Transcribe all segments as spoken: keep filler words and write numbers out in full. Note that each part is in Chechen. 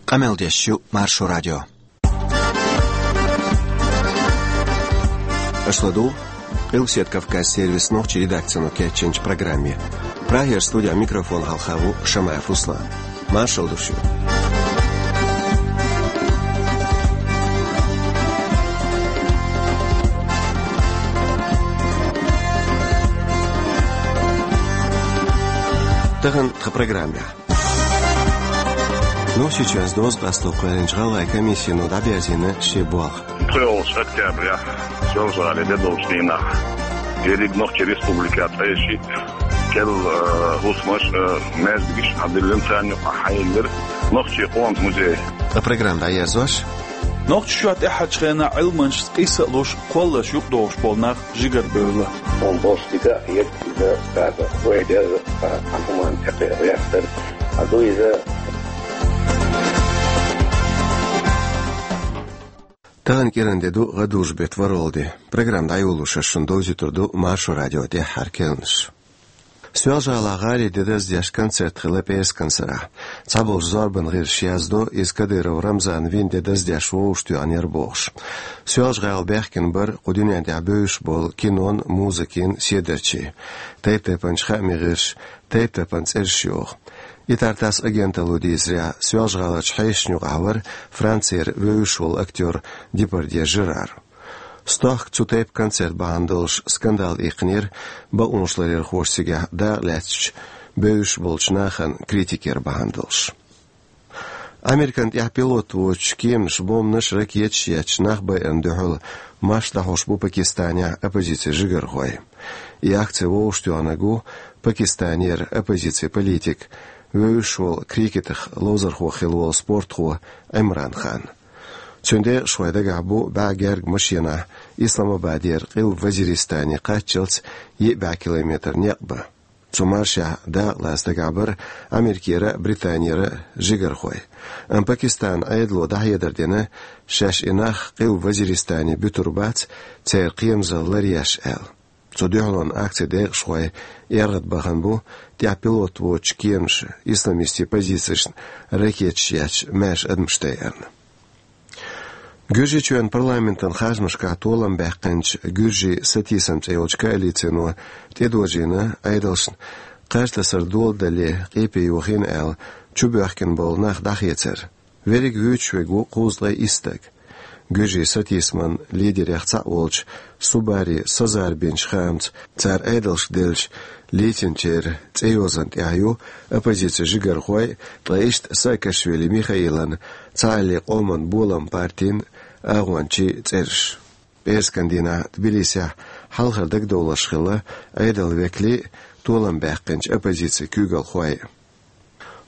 Къамел деш ю Маршо радио. Аша ладугӀу Къилбаседа Кавказан сервисан нохчийн редакцино кечйинчу программе. Прагера студин микрофона хьалха ву Шамаев Руслан. Маршалла ду шуьга. Тахана тхан программехь. Нохчийчоьнца доза къасто кхоьллинчу гӀалгӀайн комиссино дӀаберзийна шен болх. КхоалгӀачу октябрехь Соьлжа-ГӀалин де долчу дийнахь ерриг Нохчийн республикехь ткъе шиъ, керла, э, хӀусамаш, э, маьждигаш а диллина, царна юкъахь хьаелира нохчийн къоман музей. Ткъа программа дӀаерзош. Нохчийчохь тӀаьххьарчу хенахь Ӏилманчашца къийса а луш, кхолларш юкъадохуш болу нах жигара бевлла. Хьуна бохуш дика а хета иза, цара вай деза, а, хьан хӀуманна тӀекхехьа вехтар, а ду иза. Тахана кӀиран де ду, гӀадужу беттан ворхӀалгӀа де. Программа дӀайолош ас шуна довзуьйтур ду Маршо радион тӀаьххьара керланаш. Соьлжа-ГӀалахь гӀалин де даздеш концерт хилла пӀераскан сарахь. Цхьаболчу зорбанан гӀирсаша яздо, иза Кадыров Рамзана вина де даздеш вовшахтоьхнера бохуш. Соьлжа-ГӀала баьхкина бара кху дуьнен тӀехь бевзаш болу кинон, музыкин седарчий. Тайп-тайпанчу хаамийн гӀирсаша тайп-тайпана цӀераш йоху. И Тартасс агенталло дийцарехь, Соьлжа-ГӀаларчу хьешашна юкъахь вара Францера вевзаш волу актер Депардье Жерар. Стохка цу тайпа концерт бахьана долуш скандал иккхинера бакъонашларъярхоша, цигахь дакъа лаьцначу бевзаш болчу нахана критика яр бахьана долуш. Американ тӀехь пилот воцучу кеманаша бомбанаш, ракеташ етташ нах байарна дуьхьал марш дӀахьош бу Пакистанехь оппозицин жигархой. И акци вовшахтоьхнарг ву Пакистанера оппозицин политик, вевзаш волу крикетах ловзархо хилла волу спортхо Ӏимран Хан. Цуьнан декъашхой дагахь бу бӀе гергга машенахь Исламабадера Къилба Вазиристане кхаччалц йиъ бӀе километр некъ бан. Цу маршехь дакъалаца дагахь бара Америкера а, Британера а жигархой. Амма Пакистанан Ӏедало дӀахьедар дина, шаьш и нах Къилба Вазиристане буьтур бац, церан кхерамзалла ларъеш аьлла. Цу дуьхьалонан акцин декъашхой эргӀадбахана бу тӀехь пилот воцучу кеманаша исламистийн позицешна ракеташ етташ маьрша адамаш дайарна. Гуьржийчоьнан парламентан харжамашкахь толам баьккхинчу «Гуьржийн сатийсам» цӀе йолчу коалицино тӀедожийна Ӏедалшна кхаж тасар доладале къепе йохийна аьлла чубоьхкина болу нах дӀахецар. Верриг вуьйцуш верг ву кхузткъе исс стаг. Гуьржийн сатийсаман лидерех цхьаъ волчу Субари Сазарбинчу хаамца, цара Ӏедалшка деллачу лецначеран цӀейозан тӀехь ю оппозицин жигархой, ткъа иштта Саакашвили Михаилан Цхьааллин къоман болам партин агӀончийн цӀераш. ПӀераскан дийнахь Тбилисехь хьалхара дагадовларш хилла Ӏедалан векалийн, толам баьккхинчу оппозицин куьйгалхойн.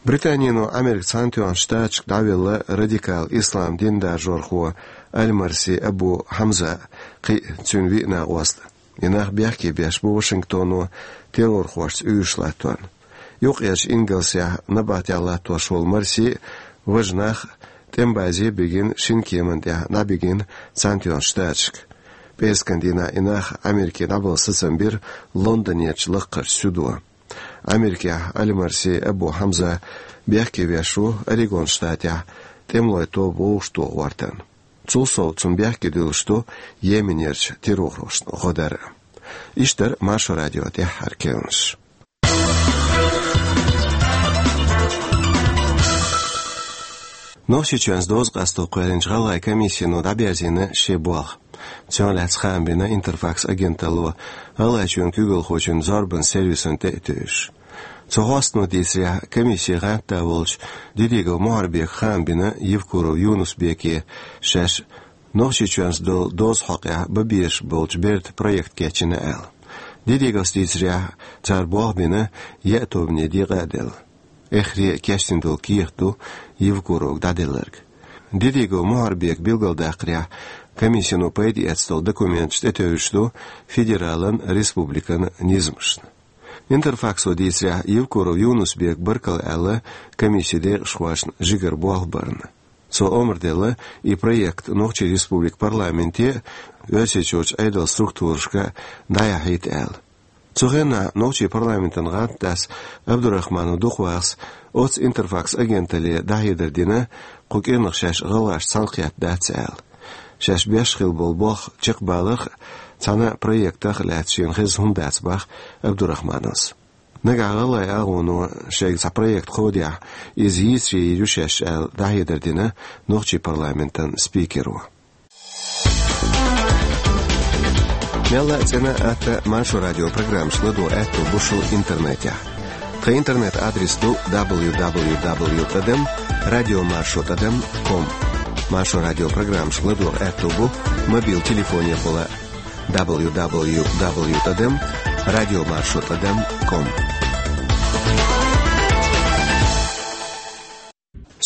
Британино Америкин Цхьаьнатоьхначу Штаташка дӀавелла радикал ислам дин даржорхо Аль-Марси Абу Хьамза а, кхин а цуьнан виъ накъост а. И нах бехке беш бу Вашингтоно террорхошца уьйраш латтор. Юккъерчу Ингалсехь набахтехь латтош волу Марси а, важа нах а тӀеман базе а бигина, шина кеманна тӀехь дӀабигина Цхьаьнатоьхначу Штаташка. ПӀераскан дийнахь и нах Америке дӀабала сацам бира Лондонерчу лакхарчу суьдо. Америкехь Аль-Марси Абу Хьамза бехке веш ву Орегон штатехь тӀемалойн тоба вовшахтоха гӀортарна. Цул сов цунна бехке дуьллуш ду Йеменерчу террорхошна гӀо дар. Иштта дара Маршо радион тӀаьххьара керланаш. Нохчийчоьнца доза къасто кхоьллинчу гӀалгӀайн комиссино дӀаберзийна шен болх. Цунах лаьцна хаам бина Интерфакс агенталло, ГӀалгӀайчоьнан куьйгалхочун зорбанан сервисан тӀе а тевжаш. Цу хьостано дийцарехь, комиссин гӀантда волчу Дидигов Мухьарбека хаам бина Евкуров Юнус-Беке, шаьш Нохчийчоьнца долу дозан хьокъехь бан безаш болчу бертан проект кечйина аьлла. Дидиговс дийцарехь, цара болх бина, яа тобане декъа а делла. Эххар а кечдина долу кехат ду Евкуровга дӀаделларг. Дидигов Мухьарбека билгалдаккхарехь, комиссино пайда эцна долу документаш тӀетевжаш ду федералан, республикан низамашна. Интерфаксо дийцарехь, Евкуров Юнус-Бека баркалла аьлла комиссин декъашхошна жигара болх барна. Цо омра делла и проект Нохчийн Республикан парламенте а, Оьрсийчуьрчу Ӏедалан структурашка а дӀаяхьийта аьлла. Цу хенахь нохчийн парламентан гӀантдас Абдурахманов дукхаваллалц оццу Интерфакс агенталле дӀахьедар дина, кху кӀиранах шаьш гӀалгӀашца цхьаьна кхетта дац аьлла. Шаьш беш хилла болу болх чекхбаларх а, цхьана проектах а лаьцна шена хезна хӀума дац боху Абдурахмановс. Нагахь гӀалгӀайн агӀоно шайга цхьа проект кховдехь, иза йийцаре йийр ю шаьш аьлла дӀахьедар дина нохчийн парламентан спикеро. Мелла а цӀена а, атта а Маршо радио программашка ладогӀа аьтто бу шун интернетехь. Тхан интернет-адрес ду дабл ю дабл ю дабл ю тӀадам радио маршо тӀадам ком. Маршо радио программашка ладогӀа аьтто бу мобил телефонехула дабл ю дабл ю дабл ю тӀадам радио маршо тӀадам ком.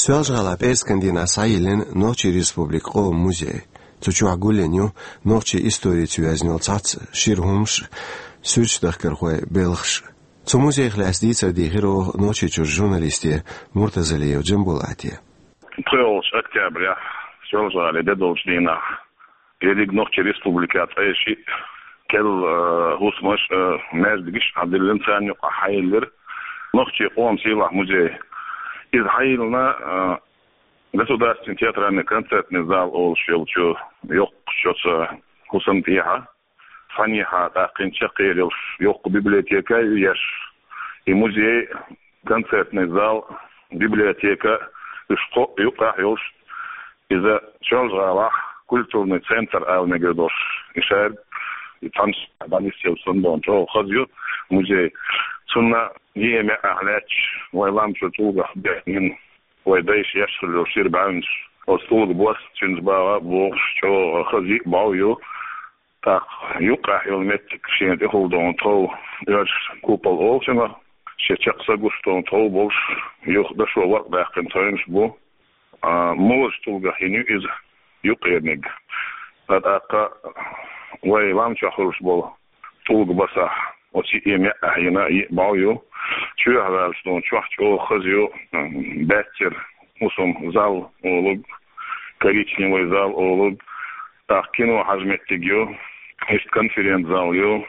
Соьлжа-ГӀалахь пӀераскан дийнахь схьайиллина Нохчийн Республикан къоман музей. Цу чохь гулйина ю нохчийн историца йоьзна йолу цхьацца шира хӀумнаш, суьрташ дахкархойн белхаш. Цу музейх лаьцна дийцар дийхира оха Нохчийчуьра журналисте Муртазалиев Джамбулате. ПхоьалгӀачу октябрехь, Соьлжа-ГӀалахь де долчу дийнахь, ерриг Нохчийн Республикехь цхьа шиъ керла, э, хӀусамаш а, э, маьждигаш а хьадиллина, царна юкъахь схьайиллира нохчийн къоман сийлахь музей. Иза схьайиллина, э, государственный театральный концертный зал олуш йолчу йоккхачу оцу хӀусамна тӀехьа. Цхьаннехьа тӀаккха хӀинца чекхъер йолуш йоккха библиотека а ю еш, и музей, концертный зал, библиотека, уьш кхоъ юккъехь йолуш, иза Соьлжа-ГӀалахь культурный центр ала мегар долуш, и шаьрга, и цхьана дӀанисъелла санна долу чӀогӀа хаза ю музей. Цунна еа маьӀӀехь лаьтташ вайн лам чуьра тӀулгах бехнина вайн дайша еш хилла йолу шира бӀаьвнаш, оцу тӀулган бос, цуьнца багӀа а богӀуш, чӀогӀа хаза йиъ бӀов ю. ТӀаккха юккъехь йолу меттиг шена тӀехула долу тхов, оьрсаша купол олу цунах, шен чекх са гуш долу тхов болуш, юха дашо ворхӀ даьккхина тхевнаш бу. А, мозачу тӀулгах йина ю иза юккъерниг. Ткъа тӀаккха вайн лам чохь хуьлуш болу тӀулган басахь оцу йиъ маьӀӀехь йина йиъ бӀов ю. Чоьхьа ваьлча долу чохь чӀогӀа хаза ю, м, баьццара хӀусаман зал олург, коричневый зал олург, тӀаккха кино хьажа меттиг ю, иштта конференц-зал ю.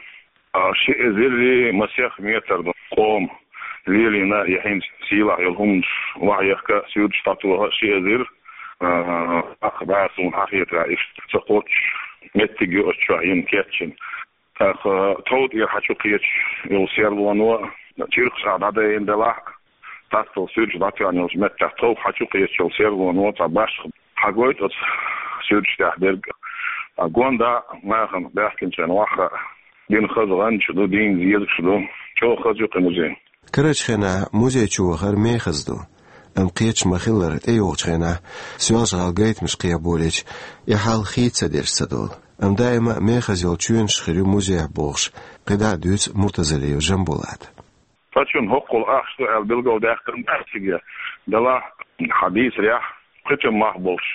А, ши эзар масех метр ду къоман лелийна, я хӀинца сийлахь йолу хӀуманаш охьаехка а, суьрташ дӀатоха а ши эзар, а, ах бӀе суна хьахетарехь иштта ца кхоччуш меттиг ю оцу чохь йина кечйина. ТӀаккха тхов тӀера хьа чу кхеташ йолу серлоно чиркхаш а дӀадайна делахь а, тастал суьрташ дӀатоьхна йолчу меттехь тхов хьа чу кхеташ йолу серлоно цхьа башха хьагойту оцу суьрташ тӀехь дерг. А гонда а нахана баьхкинчарна охьа а, дина хаза гӀанташ ду, дийна зезагаш ду. ЧӀогӀа хаза ю кхин музей. Карарчу хенахь музей чу вахар мехаза ду. Амма кхеташ ма-хиллара, тӀейогӀучу хенахь Соьлжа-ГӀала гайтамаш кхехьаболийча, и хьал хийца ца дерш ца долу. Амма даима а мехаза йолу чоьнаш хир ю музейх бохуш, кхидӀа а дуьйцу Муртазалиев Джамбулата. Цхьа чунна хӀоккхул ахча ду аьлла билгалдаьккхина дац цига. Делахь, хьан дийцарехь, кхетам мах болуш,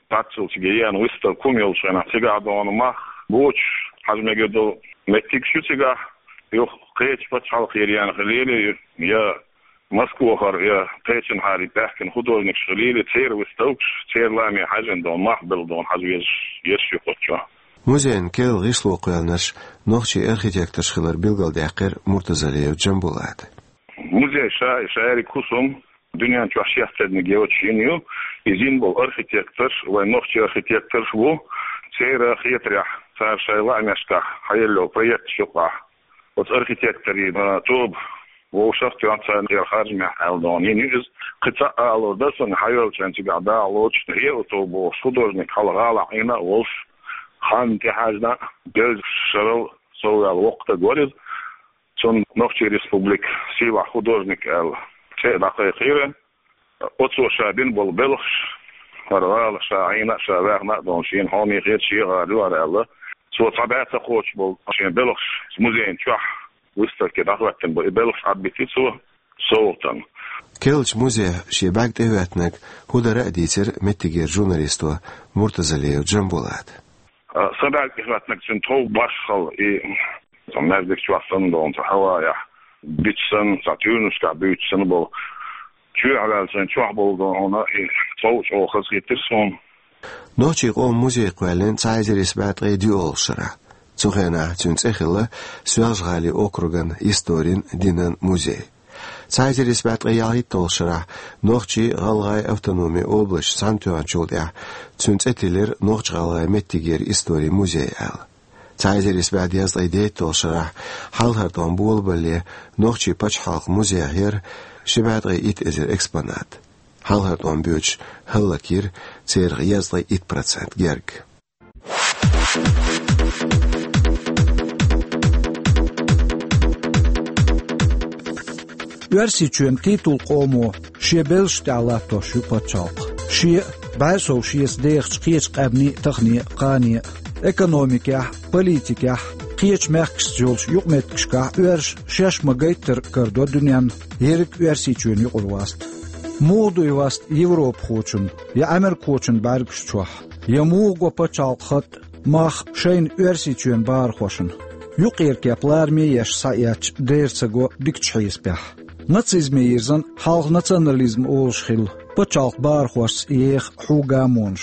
цхьаццул цига еана выставка хӀума йолчу хенахь, цигахь догӀу мах боцуш хьажа мегар долу меттигаш ю цигахь, юха кхечу пачхьалкхера еана хилийла, я Москвахара, я кхечанхьара баьхкина художникаш хилийла, церан выставкаш, церан ламе хьаьжжина догӀу мах белла догӀу хьажа везаш, езаш ю кху чохь. Музейн керла гӀишло кхоьллинарш нохчийн архитекторш хилар билгалдаьккхира Муртазалиев Джамбулата. Музей ша, шаьриг хӀусам дуьнен чохь шех терниг йоцуш йина ю, иза йина болу архитекторш, вайн нохчийн архитекторш бу, церан хетарехь, цара шайн лаамашкахь хьаелла йолу проекташ юкъахь. Оцу архитекторийн, а, тоба вовшах а тоьхна, царна тӀера харжамехь аьлла догӀу йина ю иза. Кхин цхьа а алур дара суна, хьайоьллучу хенахь цигахь дагӀа лоцуш, ХӀеа тоба бохуш художник хьалха гӀалахь Ӏийна а волуш, хан тӀехьаьжна а, дезачу шарал совваьлла воккха стаг вара иза. Цунна Нохчийн Республикан сийлахь художник аьлла цӀе а дӀакхайкхийра. Оцо ша бина болу белхаш, хӀара гӀала ша Ӏийна а, ша ваьхна а долу шена хьоме хета, шен гӀала ю хӀара аьлла. Цо цхьа бӀе ца кхочуш болу шен белхаш музейн чохь выставке дӀахӀоьттина бу. И белхаш Ӏадбитира цо совгӀатана. Керлачу музейх шен бӀаьрг тӀехӀоьттинарг хӀун дара а дийцира меттигера журналисто Муртазалиев Джамбулата. А, сан бӀаьрг тӀехӀоьттинарг цуьнан тхов башхалла, и цхьа маьждиг чохь санна долу, цхьа хьаваехь битта санна, цхьа туьйранашкахь буьйцуш санна болу. Чоьхьа ваьлла сан чохь болу долу хьуна, и тхов чӀогӀа хазахийтира суна. Нохчийн къоман музей кхоьллина цхьа эзар исс бӀе ткъе диъолгӀачу шарахь. Цу хенахь цуьнан цӀе хилла Соьлжа-ГӀалин округан историн, динан музей. Цхьа эзар исс бӀе ткъе ялхитталгӀачу шарахь Нохчийн, ГӀалгӀайн автономин областаш цхьаьнатоьхначул тӀаьхьа цуьнан цӀе тиллира Нохч-ГӀалгӀайн меттигера историн музей аьлла. Цхьа эзар исс бӀе дезткъе дейтталгӀачу шарахь хьалхара тӀом болабале Нохчийн пачхьалкхан музейхь яра ши бӀе ткъе итт эзар экспонат. Хьалхара тӀом боьдуш хӀаллакйира церан дезткъе итт процент герга. Оьрсийчоьнан титулан къомо шен белшаш тӀехь латтош ю пачхьалкх. Шен бӀе сов шеца дехачу кхечу къаьмнийн а, таханен а, кханен а, экономикехь а, политикехь а, кхечу мехкашца йолчу юкъаметтигашкахь а оьрсаша шаьш ма-гайттара карадо дуьненна ерриг Оьрсийчоьнан юкъара васт. Муха ду и васт европахочун я америкахочун бӀаьргаш чохь, я муха го пачхьалкхан хатӀ, мах шайна Оьрсийчоьнан бахархошна? Юккъера кеп лараме еш схьаэцча, дера ца го дикачу хьесапехь. Нацизме йирзина хьалха национализм олуш хилла, пачхьалкхан бахархошца еха хьу гамонаш.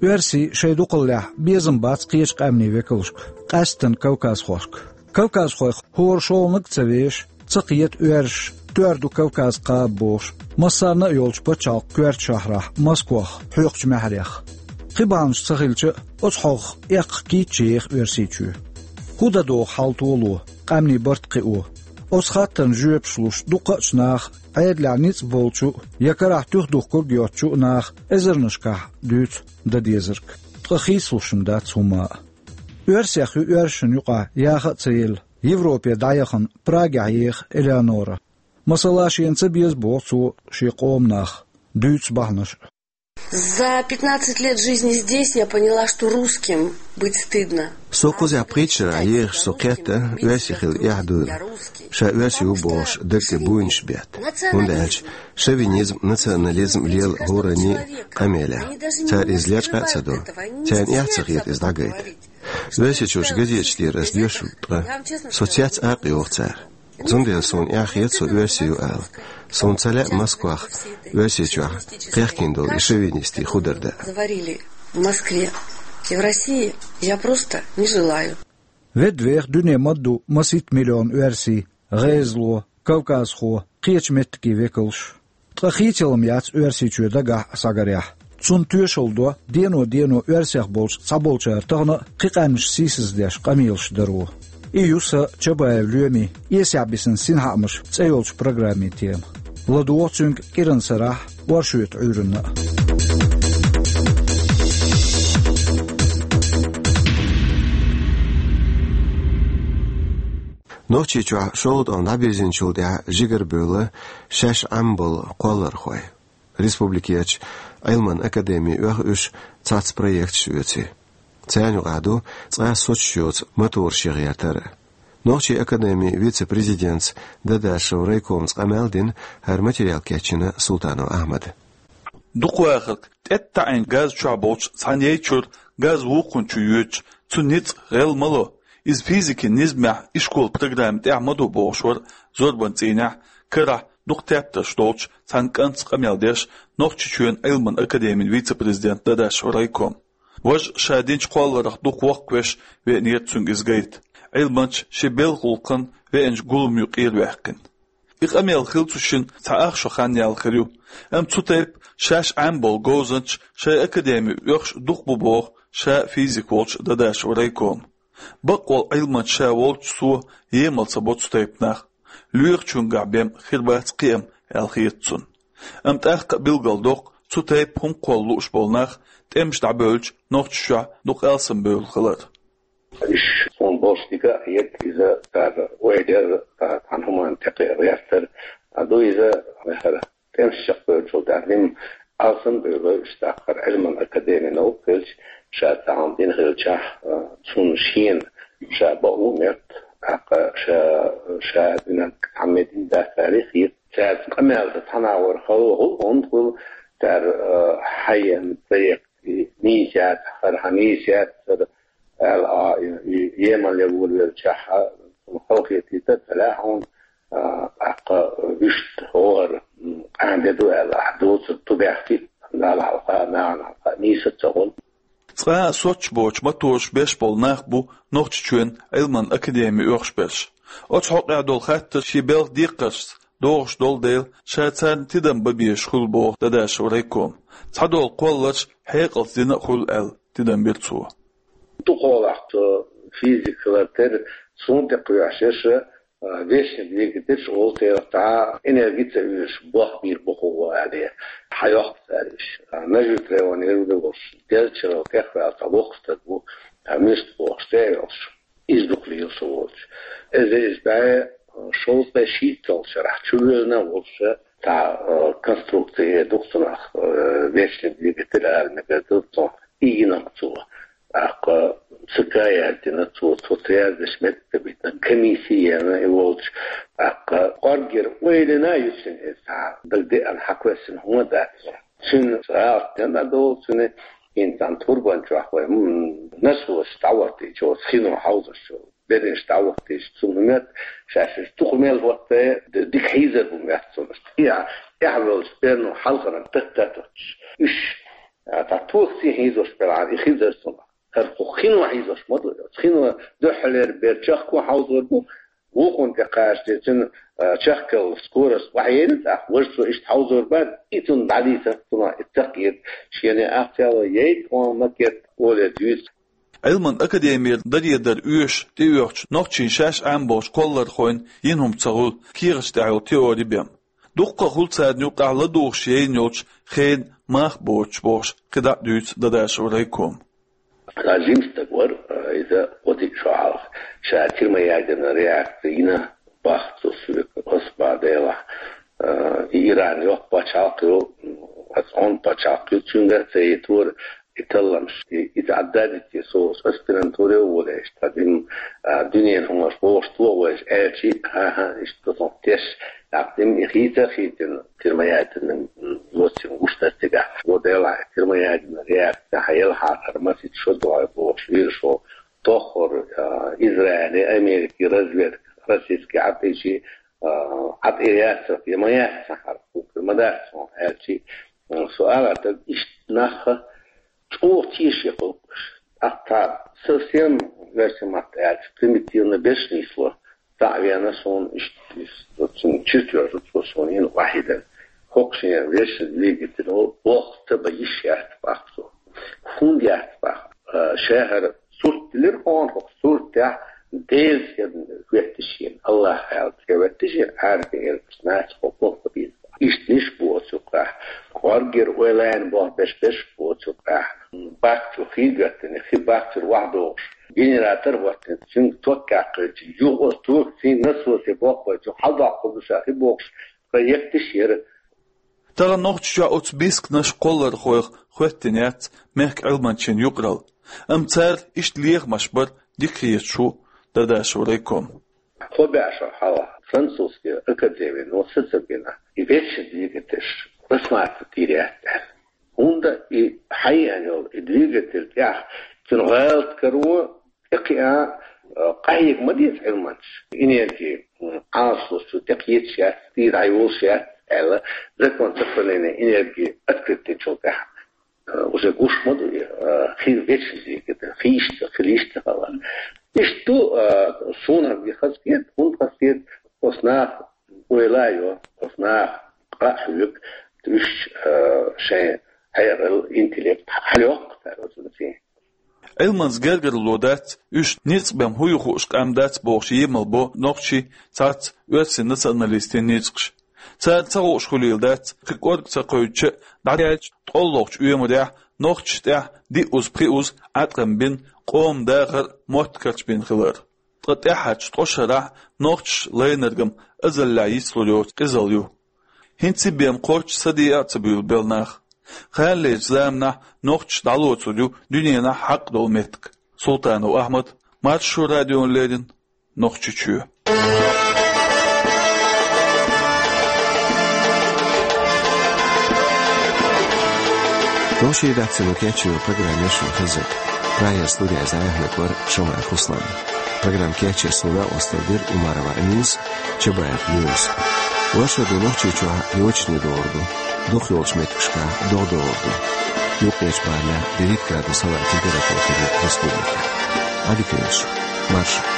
Оьрсий шайн дукхаллехь безам бац кхечу къаьмнийн векалшка, къаьсттина кавказхошка. Кавказхойх хӀора шолгӀаниг а ца веш, ца кхета оьрсаша, тоьар ду Кавказ кхаба бохуш, массарна а йолчу пачхьалкхан коьртачу шахьарахь, Москвахь, хьоькхучу маьхьарехь. Кхин бахьанаш ца хилча а, оцу хьовха эккха кийча еха Оьрсийчоь. ХӀун дан догӀу хьал толо, къаьмнийн барт кхио? Оцу хаттарна жоьпаш луш дуккха а наха, Ӏедалехь ницкъ болчу а, я карахь туьха духкург йоцчу а наха эзарнашкахь дуьйцу дан дезарг. Ткъа хийцалуш-м дац хӀумма а. Оьрсех ю оьрсашна юкъахь яха а ца елла, Европе дӀаяхана Прагехь еха Элеонора. Масала, шена ца беза боху цо шен къоман нах, дуьйцу бахьанаш а. За пятнадцать лет жизни здесь я поняла, что русским быть стыдно. Со кхузахь пхийтта шарахь ехаш, со кхетта, оьрси хила эхь дуйла. Ша оьрси ву бохуш, дагге буйнаш бетта. ХӀунда аьлча шовинизм, национализм лела хӀораннан къамелехь. Цара иза лечкъа а ца до. Царна эхь ца хета иза дӀагайта. Оьрсийчуьрчу газеташ тӀера ас доьшург, ткъа со цец а кхайкхо цара. Цундела суна эхь хета со оьрси ю ала. Суна ца лаьа Москвахь, Оьрсийчохь кхехкина долу и шовинистийн худар даа. Заварили в Москве и в России я просто не желаю. Ведда веха дуьне ма-дду масийтта миллион оьрси, гӀезало, кавказхо, кхечу меттигийн векалш. Ткъа хийцалла-м яц Оьрсийчоь дагахь а схьагарехь. Цунна тоьшалла до дено-дено оьрсех болчу цхьаболчара тахана а кхин къаьмнаш сийсаздеш къамелаш даро. И ю сан, Чабаев Лоьмин, «Эсехь бисина синхаамаш» цӀе йолчу программин тема. ЛадогӀа цуьнга кӀиран сарахь а, оршотан Ӏуьйранна а. Нохчийчохь шолгӀа тӀом дӀабирзинчул тӀаьхьа жигара бевлла шаьш Ӏамбалла кхоллархой. Республикерчу Ӏилман академин оьху уьш цхьацца проекташ оьций. Царна юкъахь ду цкъа а соцуш йоцу мотораш ян гӀертар а. Нохчийн академин вице-президентца, Дадашев райкомца къамел дина, хӀара материал кечйина Султанов Ахьмада. Дукхавахарг тӀеттаӀийна газ чохь болчу цхьана яй чуьра газ вукхунна чу йоьдуш, цуьнан ницкъ гӀелла ма ло. Иза физикин низамехь ишколан программин тӀехь ма ду бохуш вара зорбанан цӀийнехь, карахь дукха тептарш долчу цхьана кӀантаца къамел деш Нохчийчоьнан Ӏилман академин вице-президент Дадашев райком. Важа ша динчу кхолларх дукха воккхавеш веанера цуьнга иза гайта, Ӏилманча шен белхан гӀуллакхна веанчу гулам юкъера ваьккхина. И къамел хилла цу шинна цхьа ах шо хан яьлла хир ю. Амма цу тайпа шаьш Ӏамбалла говзанчаш шайн академин оьхуш дукха бу боху ша физик волчу Дадашев райкома. Бакъволу Ӏилманча ша волчу цо емал ца бо цу тайпа нах. Лоьхучуьнгахь бен хир бац кхиам аьлла хета цунна. Амма тӀаккха а билгалдоккху, цу тайпа хӀума кхолла лууш болу нах тӀемаш дӀабевлча Нохчийчохь дукха алсамбевлла хилар. Уьш суна болуш дика а хета, иза цара ойла яр, цхьана хӀуманна тӀекхиа гӀертар. А ду иза, хӀара тӀемаш чекхбевллачул тӀаьхьа дина алсамбевлла уьш, тӀаккха хӀара Ӏилман академин новкъа хилча, ша цхьа хӀума дина хилчахь, а, цунна шена ша бакъо а моьтту, тӀаккха ша, ша динарг цхьаммо дина дац аьлла хета. Цаьрца къамел дан цхьана агӀор хала гӀуллакх, хӀунда аьлча цара, а, хьайна проект и нийса яц, хӀара хьан нийса яц, хӀара аьлла, а, и, и емал ян волавеллачохь, а, цунна халахетийта ца лаьа хьуна, а, тӀаккха вуьшта хӀора, м, къаьхьа де ду аьлла, ахь доцург ту баьхкий, Далла хьалха, нахана хьалха нийса ца хуьлу. Къа а соццуш боцуш ма тоьшуш беш болу нах бу Нохчийчоьнан Ӏилманан академи оьхуш берш. Оцу хьокъехь долу хаттар шен белхан декхаршца догӀуш долу дела, ша царна тидам бан безаш хуьлу боху Дадашев Райкома. Цхьадолу кхолларш хьекъалца дина а хуьлу аьлла, тидам бира цо. Дукха хьолахь цо физика хилар тера, суна тӀе кхоьхьуш, а, вечный двигатель олу церан, цхьа энерги ца оьшуш болх бийр бу хӀума аьлла, хьайоккху цара уьш. А, нажуьйтархойн юьртахь волуш, делчарал тӀехваьлла цхьа воккха стаг ву, а, муьста бохуш, цӀе а йолуш. Иза дукха лела со волчу. Иза, иза бӀе шовзткъе шийтталгӀачу шарахь чувоьллина а волуш, цхьа, а, конструкция ду-кх цунах, а, вечный двигатель ала мегар ду цунах, ийна-кх цо. ТӀаккха ЦК яздина цо, цо цӀе яздеш меттиг ца битина, комисси а яьлла и волчу. ТӀаккха кӀоргера ойлина а ю цуьнан иза, цхьа дагадеана, хьакхоьссина хӀума а дац. Цуьнан гӀалат дина а долу цуьнан, хӀинца цхьана турбан чохь вай, м, насос дӀахӀоттийча, оцу хино хьовзош йолу берриш дӀахӀоттийча, цунна моьтту, шаьш уьш дукха мел хӀотта, д-, дика хьийзар бу моьтту цунна. ТӀехь-, тӀехь волчу берно хьалхарна тата-тата. Уьш, а, цхьа токаца хьийзош белахь, и хьийзар цунах. ХӀара кху хино хьийзош ма ду, оцу хино дуьххьалера бер чехко хьовзор бу, вукхунна тӀе кхача деза, цуьнан, а, чехкалла скорость охьаелира, тӀаккха важа цо иштта хьовзор бац, и цунна дӀадийцар, цунах и ца кхета, шена ахча а ло, яйта хьуна ма кхета, олий дуьйцу. Ӏилманан академера даредар оьшуш тӀеоьхучу нохчийн шаьш Ӏамбохучу кхоллархойн йина хӀума ца хуьлу кехаташ тӀехь йолу теори бен. Дуккха а хуьлу царна юкъахь ладугӀуш яйна йолчу хенан мах боцуш бохуш, кхидӀа а дуьйцу Дадашев Райкома. Цхьа жима стаг вара, а, иза кхо-диъ шо хьалха, ша термоядерная реакция йина боху цо соьга, аса боху делахь, а, и Иран йоккха пачхьалкх ю, аса Ӏун пачхьалкх ю, цуьнгара а ца йитора и талламаш, и, иза Ӏадда а дитина, со аспирантуре а волуьйтуш, тхан дин, а, дуьненан хӀуманаш бохуш тохавайша аьлча, хӀан-хӀа, иштта ду тхуна теш, тӀаккха дин и хийца а хийцина, термоядерный, м, зоцин гуш дац цигахь. Цо делахь, термоядерная реакция хьан елахьара масийтта шо догӀу бохуш виршо, тоххара, а, Израиле, Америке разведка, российский Ӏад ичи, а, Ӏад э яцара, я ма яц сан хьара, хӀума ма дац хьуна аьлчи, а, со ала даг иштта нах чӀогӀа тешаш кхалкхуш. ТӀаккха совсем, версия ма-дда аьлча, примитивно берш нисло. Цхьаъ вена суна иштта, иштта, цуьнан чувствовала цо суна йина вахьидан. ХӀокху шен вечный двигатель, о, болх ца бан йиш яц боху цо. ХӀунда яц боху? А, ша хӀара сурт дилира хьуна, хӀокху суртехь Делан синна хӀоьттина шена, АллахӀ аьлла, тӀехӀоьттина шена, Ӏарбийн элпаш нахаца хӀокху болх бан беза. Иштта ниш бу оцу юкъахь. КӀоргера ойланна болх беш берш бу оцу юкъахь. Баккхий цу хи гатдина, хи баккхийра охьадогӀуш. Генератор а хӀоттийна, цуьнга ток кхаьчча, юха оцу токаца насосе болх бан, цу хьалдоккхур ду ша хи бохуш, проекташ яра. Тахана Нохчийчохь оцу бисканаш кхоллархойх хӀоьттина яц мехкан Ӏилманчийн юкъаралла. Амма цара иштта лехамаш бар дика хеташ ву Дадашев Райком. Кхо бӀе шо хьалха французский академино сацабина, и вечный двигатель рассматривать йийр яц аьлла. ХӀунда и хьайеана йолу и двигатель тӀехь цуьнан гӀалат каро тӀекхиа, а, къахьега ма деза Ӏилманчаш. Энерги, м, Ӏалашо цу тӀекхеташ яц, цӀийра хьайолуш яц аьлла, закон сохранения энергии открыть динчул тӀаьхьа. А, уже гуш ма ду и, а, хи вечный двигатель, хи иштта, хи иштта хала. Иштта ду, а, суна хазахета, хӀунда хазахета, оцу наха ойла а йо, оцу наха къа а хьоьгу, уьш, а, шайн хьекъал, интеллект хьалайоккху цара оцу цӀе. Ӏилманца гергарло дац, уьш ницкъ бен хӀун ю хууш къам дац бохуш емал бо нохчийн цхьацца оьрсийн националистийн ницкъаша. Цара ца хууш хуьлийла дац, кхин кӀорга ца кхевдича а, дӀадаьллачу ткъолгӀачу оьмарехь нохчашна тӀехь диъазза-пхиъазза Ӏаткъам бина, къоман дахар а, мотт а карчабина хилар. Ткъа тӀаьххьарчу ткъа шарахь нохчаша лайнарг-м азаллехь йицлур йоцу къизалла ю. ХӀинца и бен кхоччуш саде а ца буьйлу белла нах. Кханалерчу заманахь нохчаш дӀалоцур ю дуьненахь хьакъ долу меттиг. Султанов Ахьмад, Маршо радиона леррина, Нохчийчоь. Вовшийн редакцино кечйина программа яра шуна хезира. Прагера студехь айхьа вара Шамаев Руслан. Программа кечъеш суна дакъост дира Умарова Аминас, Чабаев Юнус. Вайн шоу Нохчийчохь йочане догӀур ду, дукхах йолчу меттигашкахь догӀа догӀур ду. Юкъерчӏ бала девять градусал температура хьуй республикада. Али Кенш, Маршо.